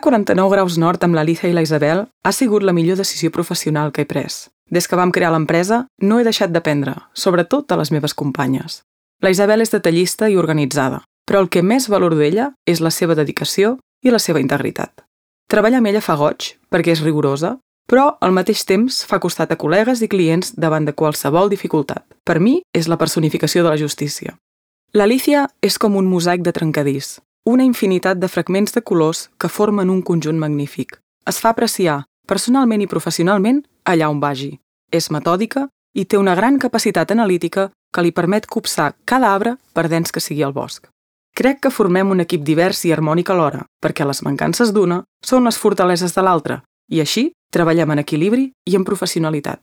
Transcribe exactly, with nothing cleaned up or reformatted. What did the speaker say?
quaranta-nou graus nord amb l'Alicia i la Isabel ha sigut la millor decisió professional que he pres. Des que vam crear l'empresa, no he deixat d'aprendre, sobretot de les meves companyes. La Isabel és detallista i organitzada, però el que més valoro d'ella és la seva dedicació i la seva integritat. Treballar amb ella fa goig, perquè és rigorosa, però al mateix temps fa costat a col·legues i clients davant de qualsevol dificultat. Per mi, és la personificació de la justícia. L'Alicia és com un mosaic de trencadís, una infinitat de fragments de colors que formen un conjunt magnífic. Es fa apreciar, personalment i professionalment, allà on vagi. És metòdica i té una gran capacitat analítica que li permet copsar cada arbre per dens que sigui el bosc. Crec que formem un equip divers i harmònic alhora, perquè les mancances d'una són les fortaleses de l'altra, i així treballem en equilibri i en professionalitat.